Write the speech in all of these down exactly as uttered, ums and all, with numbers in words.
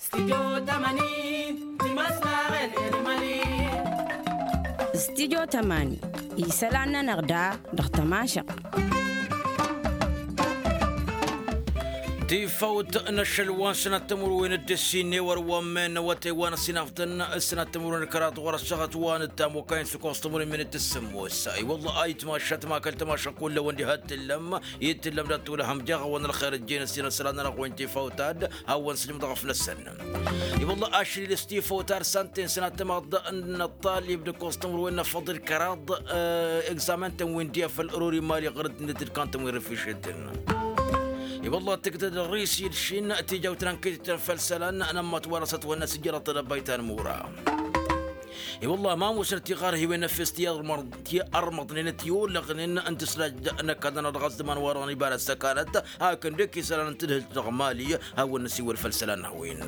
Stidyo tămani, isălan-nănăɣ da dăɣ-tămašăɣt. Tifawt n-ašăl wa n-sănat timǝrwen d-ǝssin n-ewăr wa n-men wa tăywan ăsinafdăn s-sănat timǝrwen d-kăraḍ ɣur-ăssaɣăt wa n-ăttamokayăn s-ǝkkoẓ timǝrwen men d-tǝssǝmmos. I-wălla ayǝtmašat ma kăl-tămašăɣ kull-ewăn diha t-tǝllăm i-t-tǝllăm dat-tolăhăm jaɣ-awăn ălxer ǝjjen ăssin ăsălan-nănăɣ wa n-tifawt ad-hawăn-sǝjǝm dăɣ-afnăsăn. I-wălla ašril s-tifawt ar s-ănten sănat tămaḍt n-ăṭṭalib d-ǝkkoẓ timǝrwen n-afăḍ d-kăraḍ egzamen-tăn wi n-di afăl ărori mali ɣăr-dd n-dd-ǝlkan-tăn wi n-rifrišetăn. I-wălla tǝgdăd ărrisi d-šin tijawt n-ankitităn făll-isălan n-ămmăt wa n-asăt wa n-asǝjjărăt d-ăbbayt ta n-mura. I-wălla ma musnăt tiɣarhiwen n-efes ti-ărmăḍnen ti-olăɣnen n-tǝslaj n-ăkall-nănăɣ dăɣ-ăzman wa dăɣ-nibara s-ăkanăt hakd dd-ăkk isălan n-tǝdhǝlt dăɣ-mali. Hawăn-năsiwăl făll-isălan n-a-wen.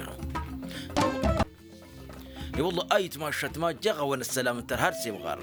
I-wălla ayǝtmašat ma jaɣ-awăn ăssălam n-tărha d-semɣar.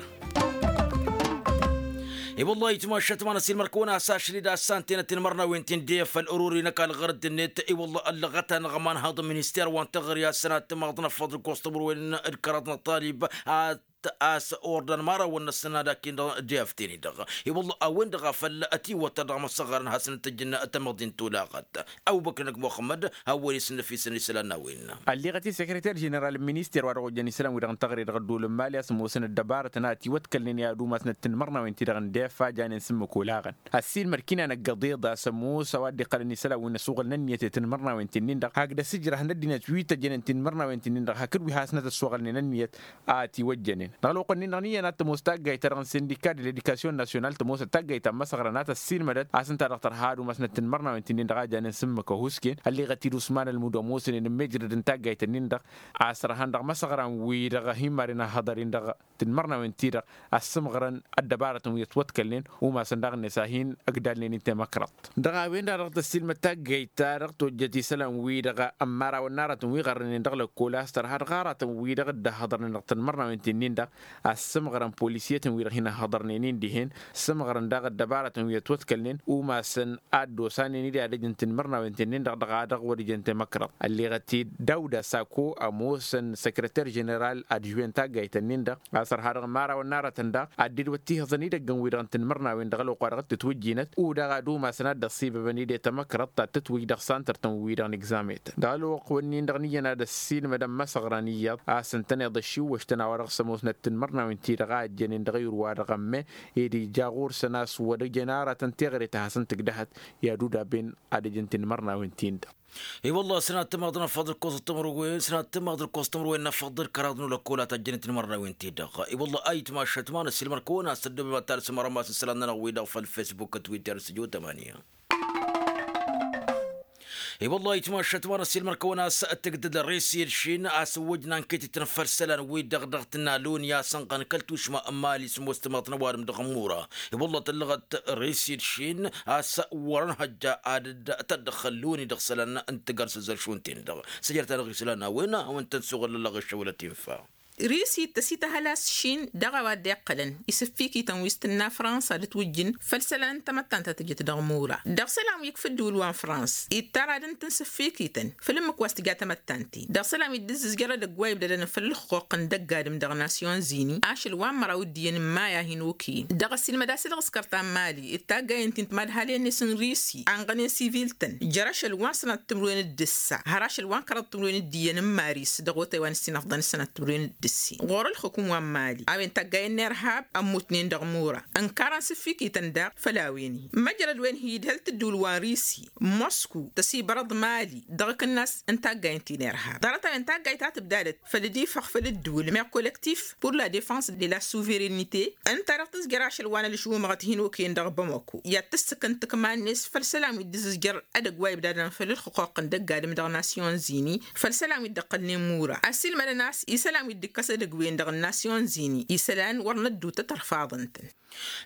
I-wălla ayǝtmašat ma n-ăsilmăr-kăwăn a-s ašlid a-s ăntenăt tinmărnawen-tin-de făll-ărori n-ăkall ɣăr dd-net. I-wălla ăllăɣăt-anăɣ ămanhăḍ n-minister wa n-teɣări a-s sănat timaḍt n-afăḍ d-ǝkkoẓ timǝrwen d-kăraḍ n-ăṭṭalib ad-t a-s ordăn imărawăn-năsăn ad-akin-dăɣ d-iyafteni-dăɣ. I-wălla a-wen-dăɣ a făl ătiwătăr dăɣ-imăssăɣărăn ad-hasăn-tǝjǝn tamăḍint tolaɣăt. Ăbubăkr n-ăgg muxămmăd hawăn-isǝnnăf isăn isălan n-a-wen. Ălleɣăt-i sekreter ženeral n-minister wa dăɣ-ojjăn isălan-wi-dăɣ n-teɣăre dăɣ-ădduul n-mali a-s ămoosăn ăddăbarătăn a ătiwătkălnen i-ad-umasnăt tinmărnawen-ti-dăɣ n-defa janen s-ǝmmǝk olaɣăn. Ăssiilmăd kinanăgg ăḍeḍ a-s ămoos a-wa dd-iqqălăn isălan wi n-ăsuɣǝlăn ǝnniyăt i-tinmărnawen-ti-nin-dăɣ hakd ăsijrăh n-ăddinăt wi tăjjănen tinmărnawen-ti-nin-dăɣ hakd wi hasnăt ăssuɣǝlnen ǝnniyăt a ătiwăjjănen. Dăɣ-ălwăqq-nin-dăɣ n-iyyăn ad-tămoos taggayt-ta-dăɣ n-sindika d-ledikasyun nasyonal tămoos taggayt ta n-imăsăɣrăn a tăssiilmădăt a-s ǝnta-dăɣ tărha ad-umasnăt tinmărnawen-ti-nin-dăɣ a janen s-ǝmmǝk ăhuusken. Ălleɣăt-dd usman ălmud ămoosnen n-mejrăd n-taggayt-nin-dăɣ a-s ărhan dăɣ-imăsăɣran-wi-dăɣ hin-maren ăhhăḍăr-in-dăɣ tinmărnawen-ti-dăɣ a ăssǝmɣărăn ăddăbarătăn wi ătwătkălnen umasăn daɣ-net a hin-ǝgdalnen i-temăkrăḍt. Dăɣ-a-wen-dăɣ dăɣ-tăssiilmăd taggayt-ta-dăɣ tojjăt isălan-wi-dăɣ ămmarawăn n-aratăn wi ɣărrănen dăɣ-lăkkol a-s tărha dăɣ-aratăn-wi-dăɣ dd-ăhhăḍărnen dăɣ-tinmărnawen-ti-nin-dăɣ a ǝssǝmɣărăn polisyetăn-wi-dăɣ hin-ăhhăḍărnen-in dihen. Ǝssǝmɣărăn daɣ ăddăbarătăn wi ătwătkălnen umasăn ad-dd-osanen-dd i-ad-ăj n-tinmărnawen-ti-nin-dăɣ dăɣ-a dăɣ-wăr-ǝjăn temăkrăḍt. Ălleɣăt-dd dawda sako ămoosăn săkrăter ženeral adžuwen taggayt-nin-dăɣ a-s ărha dăɣ-imărawăn n-aratăn daɣ ad-dd-wăt tihǝẓăn idăggăn-wi-dăɣ n-tinmărnawen dăɣ-ălwăqq wa dăɣ-t-ǝtwǝjjinăt u-daɣ ad-umasăn ad-dd-ăṣṣibăbăn ide tamăkrăḍt ta t-tǝtwǝj dăɣ-santăr-tăn-wi-dăɣ n-egzamet. Dăɣ-ălwăqq-wǝnnin-dăɣ n-iyyăn ad-ăssiilmădăn imăsăɣran iyyăḍ a-s ǝntăneḍ ăššiwwăš-tăn a-wa dăɣ-s ămoosnăt tinmărnawen-ti-dăɣ a ăjjănen dăɣ-ayǝr-wa-dăɣ ămme ed ija ɣur-săn a-s wăr-ǝjăn aratăn teɣăre ta hasăn-tǝgdăhăt i-ad-udabben ad-ǝjǝn tinmărnawen-tin-dăɣ. I-wălla a-s sănat tămaḍt n-afăḍ d-ǝkkoẓăt timǝrwen sănat tămaḍt d-ǝkkoẓăt timǝrwen n-afăḍ d-kăraḍ n-olăkkol a tăjjănen tinmărnawen-ti-dăɣ. I-wălla a itmašăt ma n-ăssiilmăr-kăwăn a-s tăddobem ad-talsăm arămas n-isălan-nănăɣ-wi-dăɣ făll-fesbuk d-twitter studio tămanya. I-wălla a itmašăt ma n-ăssiilmăr-kăwăn a-s tǝgdăd risi d-šin a-s ǝwwăjna n-ketităn făll-isălan-wi-dăɣ dăɣ-tǝnna loni a-s ănɣăn kăl-tušma n-mali s-ămoos timaḍt n-ăwadǝm dăɣ-ămmura. I-wălla tăllăɣăt risi d-šin a-s wăr-ănhăjja ad-dd-tăddăxxăl loni dăɣ-isălan n-tǝgăr s-ăzzălšun-ten-dăɣ. Săjrăt-anăɣ isălan n-a-wen a hawăn-tăn-suɣǝl ăllăɣ eššăwălăt infa. Risi tăsităhăl a-s šin dăɣ-a-wa dd-iqqălăn isǝffikităn wi s-tǝnna fransa d-ǝtwǝjjǝn făll-isălan n-tamăttant ta tǝjǝt dăɣ-mura dăɣ-isălan wi ǝkf' ǝddǝwǝl wa n-frans ittar ad-ǝntǝn sǝffikităn făll-ǝmmǝk wa s-tǝja tamăttant-in dăɣ-isălan wi dd-ǝzzǝzjăr edăgg wa ibdădăn făll-ǝlxuqq n-dăgg-adǝm dăɣ-nasyon zini ašăl wa n-măraw d-iyyăn n-maya hin-okăyăn dăɣ-ăssiilmăd a-s dăɣ-s kărta n-mali d-taggayăn-t-in timadhalăn-net n-risi anɣănen sivil-tăn jer-ašăl wa n-sănat timǝrwen d-ǝssa har ašăl wa n-kăraḍ timǝrwen d-iyyăn n-maris dăɣ-otay wa n-ǝssin ăfḍăn s-sănat timǝrwen d-ǝssin ɣur-ălxukum wa n-mali a-wen taggayen n-irhab ămmutnen dăɣ-mura ǝnkarăn s-ǝffikităn daɣ făll-a-wen-in măjrăd wen hi-idhăl t-ǝddǝwǝl wa n-risi mosku tăsibărăḍ mali dăɣ-akǝnnas n-taggayăn ti n-irhab ḍarăt-a-wen taggayt ta tǝbdadăt făll-ad-ifăx făll-ǝddǝwǝl meɣ kolektif pur la defans de la suverănite ǝnta-dăɣ tǝzjăr ašăl wa n-ălžumăɣăt hin-okăyăn dăɣ-bamako i-ad-tǝssǝk n-tǝkma-net făll-isălan wi dd-ǝzjăr edăgg wa ibdadăn făll-ǝlxǝqquq n-dăgg-adǝm dăɣ-nasyon zini făll-isălan wi dd-ăqqălnen mura ăssiilmădăn a-s isălan wi dd-ǝkk ǝkkăs edăgg-wen-dăɣ n-nasyon zini isălan wăr năddutăt ărfaḍăn-tăn.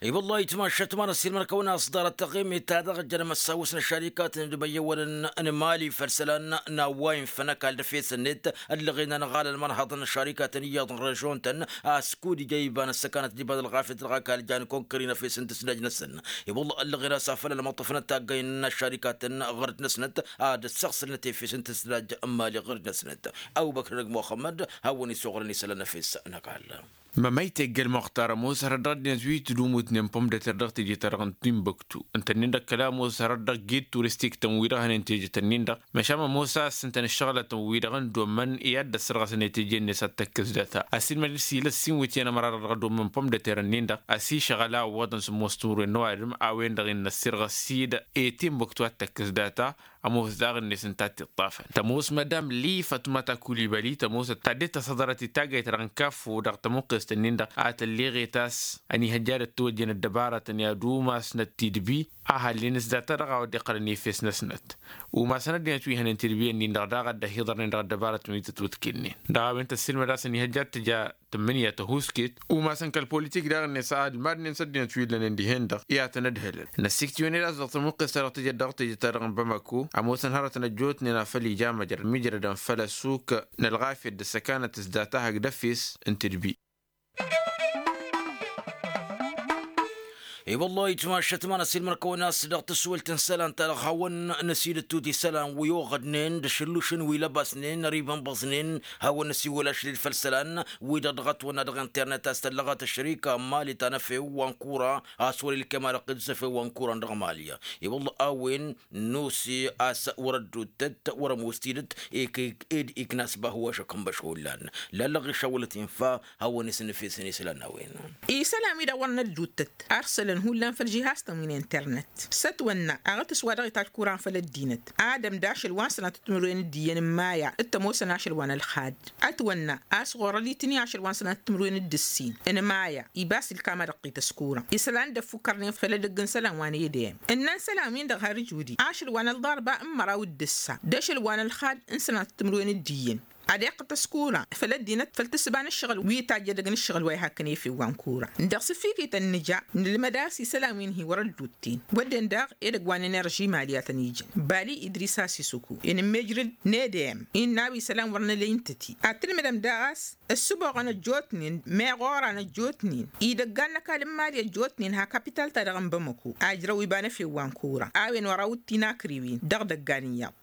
I-wăllah itmašat ma n-ăssiilmăr-kăwăn-as ḍarăt taɣimit-ta-dăɣ jăn măssawǝs n-ăššărikatăn d-imăyyăwălăn n-imali făll-isălan n-a-wa infăn ăkall d-efes-net ăllăɣen anɣal ălmărhăḍăn n-ăššărikatăn iyyăḍ n-režon-tăn a-s kud-ija iba n-ăssăkanăt d-iba n-ălɣafyăt dăɣ-ăkall jan konkări n-efes n-tǝsdaj-năsăn. I-wăllah ăllăɣen a-s afăl ălmăṭṭăfnăt taggăyăn n-ăššărikatăn ɣăr-dd-năsnăt ad-ăssăɣsǝlnăt efes n-tǝsdaj n-imali ɣăr-dd-năsnăt. Ăbubăkr n-ăgg muxămmăd hawăn-isoɣrăn isălan n-efes n-ăkall. Mămăy teggăl muxtar ămoos hărăt dăɣ-ăddinăt wi tǝdumutnen pom d-eter dăɣ-teje-ta-dăɣ n-timbuktu ǝntănnen dăɣ-kăla ămoos hărăt dăɣ-gid turistik-tăn wi-dăɣ hănen teje-tăn-in-dăɣ. Măšan ămoos a-s ǝntăn ǝššăɣǝlătăn wi-dăɣ n-dommăn i-ad-dd-ăssărɣăsăn i-teje-net ad-tăkkǝs data ăsiilmăd-dd s-ila ǝssin wi t-iyyăn ămăra-dăɣ dăɣ-dommăn pom d-eter-nin-dăɣ. Ăsišăɣăl a ǝwwăḍăn s-ămoos timǝrwen n-ăwadǝm a-wen-dăɣ innă ăssirɣăs-dd i-timbuktu ad-tăkkǝs data. Ămoos daɣ-net ǝnta a t-iṭṭafăn tămoos madam li fătmăta kulibăli tămoosăt ta dd-tăsăḍărăt di taggayt-ta-dăɣ n-kaffo dăɣ-tămuqqest-ǝnnin-dăɣ a tălleɣet a-s ănihăjja ad-ăttwăjjăn ăddăbarătăn i-ad-umasnăt tidbi a hallen s-data-dăɣ a wăr dd-iqqălăn efes-năsnăt. Umasăn ăddinăt wi hănen tidbi-ǝnnin-dăɣ daɣ a dd-ăhiḍărnen dăɣ-ăddăbarătăn wi tătwǝtkǝnnen dăɣ-a-wen tăssiilmăd a-s ănihăjja ad-tǝja tǝmmǝnǝya tăhuusket. Umasăn kăl-politik daɣ-net a ălmadnen s-ăddinăt wi ǝllănen dihen-dăɣ i-ad-tăn-ădhǝlăn. Năssiktǝwăn-dd a-s dăɣ-tămuqqest-ta-dăɣ tǝjăt dăɣ-teje-ta-dăɣ n-bamako ămoosăn hărătăn ăjjootnen a făl ija măjrăd mijrădăn făll-ăssuk n-ălɣafyăt d-ăssăkanăt s-data hakd efes n-tidbi. I-wăllah itmašăt ma n-ăsiilmăr-kăwăn a-s dăɣ-tǝswǝlt n-isălan-ta-dăɣ hawăn-năsidǝttut isălan wi oɣădnen d-ašǝllušăn wi lăbasnen ărimănbăẓnen. Hawăn-năsiwǝl ašăl-dd făll-isălan wi-dăɣ dăɣ-ătwănna dăɣ-internet a-s tăllăɣăt ăššărika n-imali ta n-efew wa n-kura a-s wăr-ilkem ad-ăqqǝjǝs efew wa n-kura n-dăɣ-imali. I-wăllah a-wen nusi a-s wăr-ădduttăt wăr-ămoos tidǝt. Ed ikna s-bahu ašăk n-băš hullan lallăɣ išawălăt infa. Hawăn-isǝnnǝfesăn isălan n-a-wen isălan wi-dăɣ wăr nădduttăt arsălăn hullan făll-žihaz-tăn wi n-internet. S-ătwănna aɣǝtǝs wa dăɣ-itajj kuran făll-ăddinăt ad-ămda ašăl wa n-sănatăt timǝrwen d-iyyăn n-maya d-tămoosăn ašăl wa n-ălxad. Ătwănna a-s ɣur-ălitǝni ašăl wa n-sănatăt timǝrwen d-ǝssin n-maya ibas ilkam ad-ăqqităs kuran isălan dd-ăffukkărnen făll-edăgg n-isălan wa n-edem ǝnnăn isălan-win-dăɣ har ǝjudi ašăl wa n-ălḍarba n-măraw d-ǝssa d-ašăl wa n-ălxad n-sănatăt timǝrwen d-iyyăn. Ad-iqqǝtăs kura făll-ăddinăt făll-tǝssǝba n-ǝššăɣǝl wi tajj edăgg n-ǝššăɣǝl wa ihakkăn efew wa n-kura. Dăɣ-sǝffikităn nǝja nǝlmăd a-s isălan-win-hi wăr-ăddutten wădden daɣ edăgg wa n-enerži mali a tăn-ijăn bali idris a-s isuku inǝmmejrǝd n-edem innă a-wa isălan wăr nǝlăy n-tǝti ad-tǝlmǝdăm daɣ a-s ǝssǝboɣăn ăjjootnen meɣ oran ăjjootnen idăggan n-ăkall n-mali ăjjootnen ha kapital-ta-dăɣ n-bamăko ajrăw iba n-efew wa n-kura a-wen wăr-awǝttin akriwen dăɣ-idăggan iyyăḍ.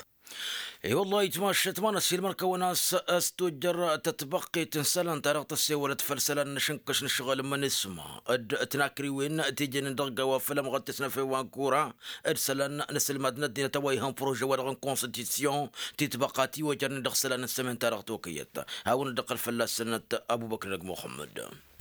I-wăllah itmašăt ma n-ăssiilmăr-kăwăn a-s s-tojjăr tătbăqqet n-isălan-ta-dăɣ tăssewălăt făll-isălan n-ašǝnkăš n-ǝššăɣǝl n-imănisma d-tinakriwen ti jănen dăɣ-gawa făll-ămɣăttes n-efew wa n-kura d-isălan n-asǝlmad n-ăddinăt a-wa ihăn prože-wa-dăɣ n-konstitusyon titbăqqa ti ojărnen dăɣ-isălan n-sămen-ta-dăɣ tokăyăt. Hawăn-dd-iqqăl fălla-săn ăbubăkr n-ăgg muxămmăd.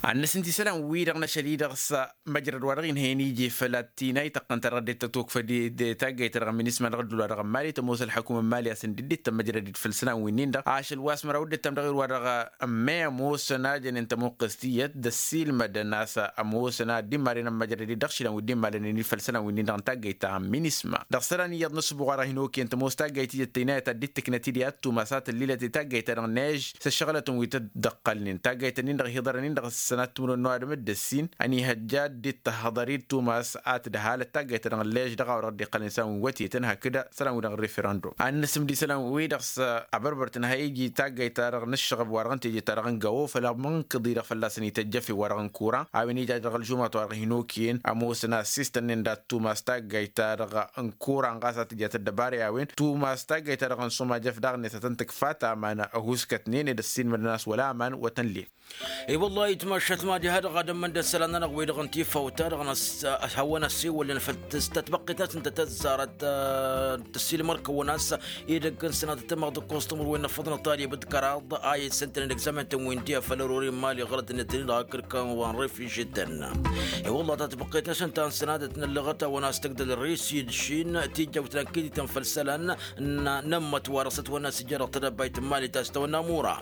Ad-năsǝnt isălan-wi-dăɣ n-ašăl-i-dăɣ s-măjrăd wa dăɣ-inhăyăn ije făll-ad-t-inay tăqqăn-ta-dăɣ ăddinăt tătwăkfăd i-taggayt-ta-dăɣ n-minisma dăɣ-ăddul wa dăɣ-ămmali tămoos ălxăkum n-mali a-s ǝndǝddǝt tămmăjrăd-dd făll-isălan-winnin-dăɣ ašăl wa s-măraw dd-tăm dăɣ-i wa dăɣ-ămme ămoosăn a jănen tămuqqǝst iyyăt d-ăssiilmădăn a-s ămoosăn a dd-immalăn ămmăjrăd-dd dăɣ-išilan wi dd-immalăn-in-dd făll-isălan-winnin-dăɣ n-taggayt ta n-minisma. Dăɣ-isălan iyyăḍ n-ăssubuɣ wa dăɣ-hin-okăyăn tămoos taggayt iyyăt tăynayăt ad-dd-tǝknăt-dd i-ad-tumas a tăllilăt i-taggayt-ta-dăɣ n-ež s-ăššăɣǝlătăn wi tăt-dd-ăqqălnen taggayt-nin-dăɣ hiḍărăn-in-dăɣ s-sănat timǝrwen n-ăwadǝm d-ǝssin ănihăjja dd-tăhhăḍăr-dd tumas a tǝdhalăt taggayt-ta-dăɣ n-lež dăɣ-a-wa dăɣ-dd-iqqălnen isălan wi n-wătetăn hakd isălan-wi-dăɣ n-referăndum. Ad-năsǝmd isălan-wi-dăɣ s-abărbăr tǝnhăy iji taggayt-ta-dăɣ n-ǝššăɣăb wa dăɣ-n teje-ta-dăɣ n-găwo făll-amǝnkǝḍ-i-dăɣ fălla-săn ităjjăf i-wa dăɣ-n kura a-wen ija dăɣ-ălžumăt wa dăɣ-hin-okăyăn ămoosăn a ăssiistănnen dat-tumas taggayt-ta-dăɣ n-kura ănɣas a tǝjat ăddăbara i-a-wen tumas taggayt-ta-dăɣ n-sumajăf daɣ-net a tăn-tǝkfa ta aman ăhuuskătnen ed ăssiilmădăn a-s wăla aman wa tăn-lel. I-wăllah itmašat mad-iha dăɣ-ad-ămmăndăd isălan-nănăɣ wi-dăɣ n-tifawt-ta-dăɣ n-ăhawăn-ăssiwălăn făll-tătbăqqet a-s ǝnta tăzzarăt tăssilmăr-kăwăn a-s edăgg n-sănatăt ămăɣ d-ǝkkoẓ timǝrwen n-afăḍnăt talib d-kăraḍ a isǝntănen egzamen-tăn wi n-tia făll-ărori n-imali ɣărăt-net-in-dăɣ akǝrkan wa n-refižităn. I-wălla tatbăqqet-năsăn ta n-sănadăt n-ăllăɣăt-awăn a-s tăgdăl risi d-šin tijjăwt n-ankitităn făll-isălan n-ămmăt wa dăɣ-s ătwănna s-ija dăɣ-tedăbbayt n-imali ta s-tăwănna mura.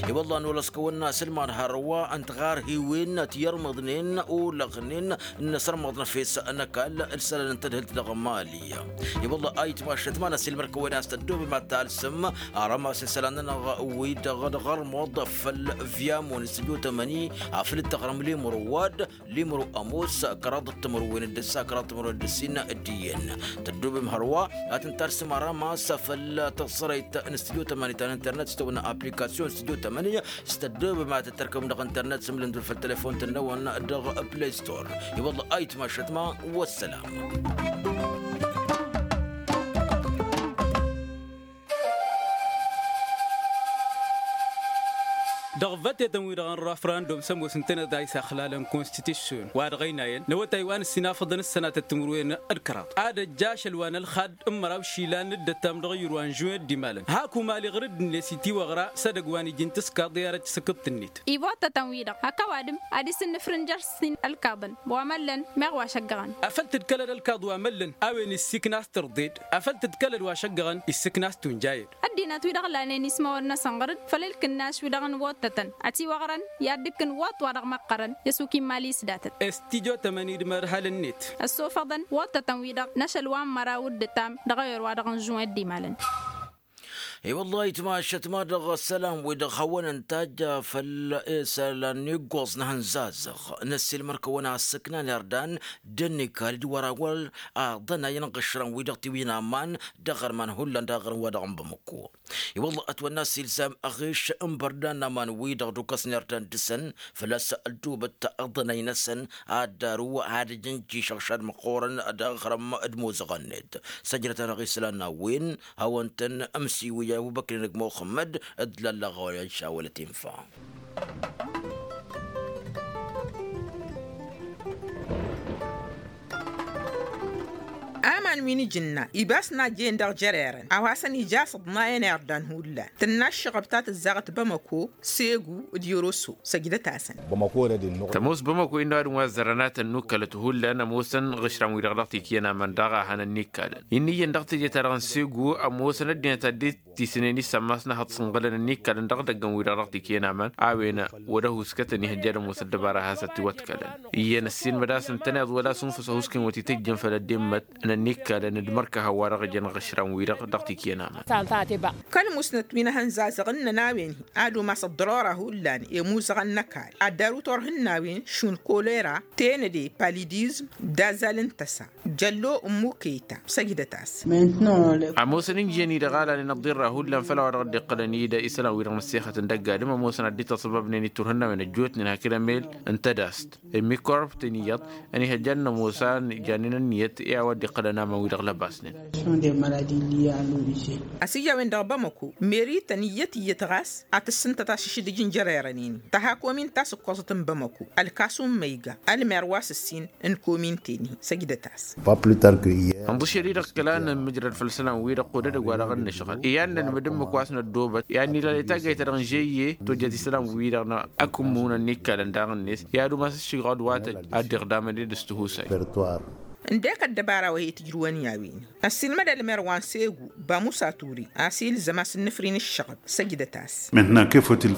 I-wălla nolăs kăwănna s-ǝlman hărwa ǝnta ɣar Hiwen ti-irmăḍnen olăɣnen n-asărmăḍ n-efes n-ăkall ǝlsălăn n-tadhǝlt dăɣ-mali. I-wălla ayǝtmašăt ma n-asilmăr kăwăn-as tăddoobem ad-talsǝm arămas isălan-nănăɣ wi-dăɣ dăɣ-armăḍ făll-vyamun s-tăjotămăni afăl d-taɣrăm limru wad limru ămoos kăraḍ d-timǝrwen d-ǝssa kăraḍ d-timǝrwen d-ǝssin. D-iyyăn tăddoobem hărwa ad-tǝn-talsǝm arămas făll-taẓrăyt n-studio tămăni ta n-internet s-tăwănna application studio tămăni s-tăddoobem ad-tăt-tărkăbăm dăɣ-internet s-imlǝndǝl făll-telefon-tăn-năwăn dăɣ-play store. I-wălla ayǝtmašăt ma. Wăssălam. Dăɣ-vătetăn-wi-dăɣ n-rafrandum s-ămoos ǝntăneḍ a isaxlalăn konstitusyon wa dăɣ-ăynayăn n-awătay wa n-ǝssinafăḍăn ǝssănatăt timǝrwen d-kăraḍ ad-ăjja ašăl wa n-ălxad n-măraw išilan d-ăttam dăɣ-iyyăr wa n-žuwin ăddimalăn hak umali ɣǝr-dd-net itiwăɣra s-edăgg wa n-iji n-tǝskaḍ i-arăt s-akǝḍt-net. Ibottătăn-wi-dăɣ hak ăwadǝm ad-isǝnnǝfrǝn jer-sin ălkaḍăn wa măllăn meɣ wa šăggăɣăn. Afăl tǝdkălăd ălkaḍ wa măllăn a-wen issikna s-tărḍed afăl tǝdkălăd wa šăggăɣăn issikna s-tunjayăd. Ăddinăt-wi-dăɣ lanen ismawăn-năsăn ɣăr-dd făll-ǝlkǝnnaš-wi-dăɣ n-wottătăn ătiwăɣrăn i-ad-dd-ǝkkǝn woṭ wa dăɣ-măqqărăn i-ăsukin mali s-datăt. Stujo tămăni d-mărhalăn-net ăssofăḍăn wottătăn-wi-dăɣ n-ašăl wa n-măraw d-ǝttam dăɣ-ewăr wa dăɣ-n žuwin ăddimalăn. I-wăllah ayǝtmašăt ma dăɣ-isălan-wi-dăɣ hawăn-ăntajj făll-isălan n-iggoẓ n-ehăn zazăɣ n-ăssiilmăr-kăwăn-asǝknan irdan d-ănnikal d-wăr-awăl aḍănay n-iɣǝšrăn-wi-dăɣ tiwǝynaman dăɣ-arman hullan dăɣ-aɣrǝm wa dăɣ-n bamăko. I-wăllah ătwănna s-ilzam aɣiš n-bărdan n-aman-wi-dăɣ d-ukăs n-irdan dăɣ-săn făl-a-s ăldubăt aḍănay-năsăn ad-daru ad-ǝjǝnjǝšăɣ šad măqqoorăn dăɣ-aɣrǝm d-imuzăɣăn-net. Săjdăt-anăɣ isălan n-a-wen hawăn-tăn-ămsiwǝy ăbubăkrin d-muxămmăd d-lăllăɣ wa n-išawălăt infa. Aman wi n-ijǝnna ibas n-ajjen dăɣ-jărerăn a-wa hasăn-ija a-s ǝḍnayăn irdan hullan tǝnna ǝššăɣăb ta tǝzzaɣăt bamăko segu d-yoroso. Săjdăt-asăn. Tămoos bamăko innă ăwadǝm wa ăzzărăn ad-tăn-nukkălăt hullan ămoosăn iɣǝšran-wi-dăɣ dăɣ-tikǝyăn aman daɣ a hanăn-nikkalăn. Innă iyyăn dăɣ-teje-ta-dăɣ n-segu ămoosăn ăddinăt ad-dd-tisǝnen issan ma s-năhăḍ sǝnɣǝlăn ǝnnikkălăn dăɣ-idăggăn-wi-dăɣ dăɣ-tikǝyăn aman a-wen wăr-ăhuskătăn ihăjja ad-ămoos ăddăbara a has-ătiwăḍkălăn. Iyyăn ăssiilmăd a-s ǝntăneḍ wăla s-unfǝs ăhuusken wăr t-tǝjjǝn făll-ăddimmăt n-ănnikkălăn d-mărkăhăn wa dăɣ-ijăn iɣǝšran-wi-dăɣ dăɣ-tikǝyăn aman. Kăl-musnăt wi n-ehăn zazăɣ ǝnnăn a-wen-hi ad-umas ăḍḍărora hullan i-imuzăɣăn n-ăkall ad-daru turhǝnnawen šund kolera tenăde palidizm d-azal n-tăsa. Jăllo n-mukeyta săjdăt-as. Ămoosăn injiyăn-i-dăɣ a lanen ăḍḍirra hullan făll-a-wa dăɣ-dd-iqqălăn-dd isălan-wi-dăɣ n-ăssexăt n-dăgg-adǝm ămoosăn ad-dd-itasăbabnen i-turhǝnnawen ăjjootnen hakd emel n-tadast ămmikorăb-ten iyyăḍ ăniihăjja ad-nămoos a jannen ǝnniyăt i-a-wa dd-iqqălăn aman-wi-dăɣ lăbasnen. Ăsijja a-wen-dăɣ bamăko meri tăn-iyyăt iyyăt ɣas ad-tǝssǝntăt ašǝšdǝj n-jărerăn-in-i tăha komin ta s-ǝkkoẓăt n-bamăko ălkasu n-măyga ălmer wa s-ǝssin n-komin-ten-hi. Săjdăt-as. Ănḍǝšel-i-dăɣ kăla nǝmmǝjrăd făll-isălan-wi-dăɣ kud-edăgg wa dăɣ-nǝšɣǝl i-ad-nǝnmǝd ǝmmǝk wa s-năddoobăt i-ad-nǝla i-taggayt-ta-dăɣ n-žeyye tojjăt isălan-wi-dăɣ n-akǝmmun ănnikkălăn daɣ-net i-ad-umas ǝššǝgɣăd wa tăj ad-dd-iɣdamăn ed s-tihusay. Ǝndek ăddăbara wa he-tǝjrǝwăn i-a-wen-hi ăssiilmăd ălmer wa n-segu bamusa ture a-s ilzăm a-s ǝnnǝfrin ǝššăɣăb. Săjdăt-as.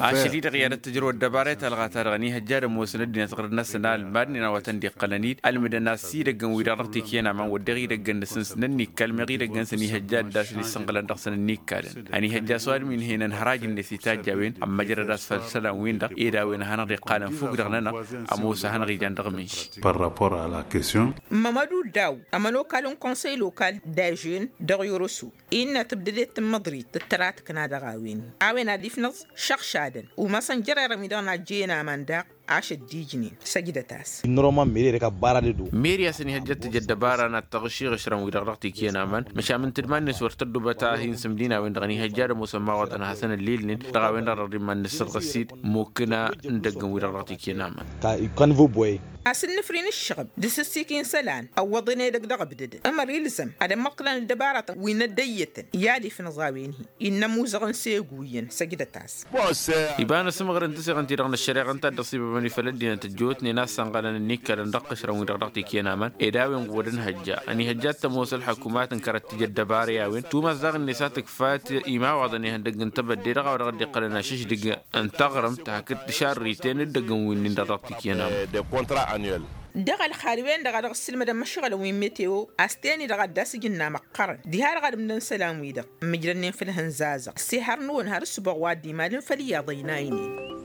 Ašăl-i-dăɣ i-ad-ăttǝjrǝw ăddăbara i-talɣa-ta-dăɣ ăniihăjja ad-ămoosăn ăddinăt ɣǝrǝd-năsăn a ălmadnen a-wa tăn-dd-iqqălăn-dd ălmǝdăn-as idăggăn-wi-dăɣ dăɣ-tikǝyăn aman wădden idăggăn-năsăn s-nănnikkal meɣ idăggăn-săn ihăjja ad-dd-asăn issănɣǝlăn dăɣ-săn ǝnniikkalăn. Ăniihăjja a-s ăwadǝm-in hăynăn hăraj-net itajj a-wen ămmăjrăd a-s făll-isălan-win-dăɣ ed a-wen a hanăɣ-dd-iqqalăn fukk-dăɣ-nănăɣ ămoos a hanăɣ-ijan dăɣ-minši. Par rapport à la question. Mămădu daw ămănokal n-konsăy lokal d-ažen dăɣ-yoroso innă tǝbdădet tǝmmăḍrit d-tăratkna dăɣ-a-wen a-wen ad-ifnăẓ šăɣšadăn umasăn jărerăn wi-dăɣ n-ajjăyăn aman daɣ. Ašăl d-ijnen săjdăt-as. Meri a-s ăniihăjja ad-tǝj ăddăbara n-ad-tăɣš iɣǝšrăn-wi-dăɣ dăɣ-tikǝyăn aman măšan ǝntǝdman-net wăr tăddubăt a hin-sǝmdin a-wen-dăɣ ăniihăjja ad-ămoosăn imawaḍăn ad-hasăn-ǝllilnen dăɣ-a-wen-dăɣ dăɣ-dd-iman-nǝssăḍɣăs-dd mokna n-idăggăn-wi-dăɣ dăɣ-tikǝyăn aman. Kan vă boy. A-s ǝnnǝfri n-ǝššăɣǝb d-asǝssikǝy n-isălan ăwwăḍăn edăgg dăɣ-ǝbdădăn ămăr ilzăm ad-ămmăḍkǝlăn ăddăbaratăn wi n-ăddăyyătăn i-ad-ifnǝẓ a-wen-hi innă ămuzăɣăn s-eguyăn săjdăt-as. Iba n-asǝmɣăr n-tǝseɣăn-ti-dăɣ n-ăššăreɣa ǝnta a dd-ăṣibăbăn i-făll-ăddinăt ăjjootnen a-s sănɣălăn ǝnnikkălăn dăɣ-tăšrăn-wi-dăɣ dăɣ-tikǝyăn aman ed a-wen ɣud ănhăjja ănihăjja ad-tămoos ălxăkumat n-kărăt tǝj ăddăbara i-a-wen tumas daɣ-net a tǝkfa imawaḍăn ihăndăgg n-tebădde dăɣ-a-wa dăɣ-dd-iqqălăn ašǝšdǝg n-taɣrǝmt hakd tǝšarriten ǝddăgg n-winnin-dăɣ dăɣ-tikǝyăn aman. Dăɣ-ălxal-wen-dăɣ a dăɣ-ǝssǝlmădăn imăšɣălăn wi n-meteo a-s ten-i-dăɣ ad-dd-asǝjǝnna măqqărăn diha-dăɣ ad-ǝmdăn isălan-wi-dăɣ ǝmmǝjrănnen făll-ihănza a-s ehăr-năwăn har ǝssǝboɣ wa dd-imalăn făll-iyyăḍ ăynaynen.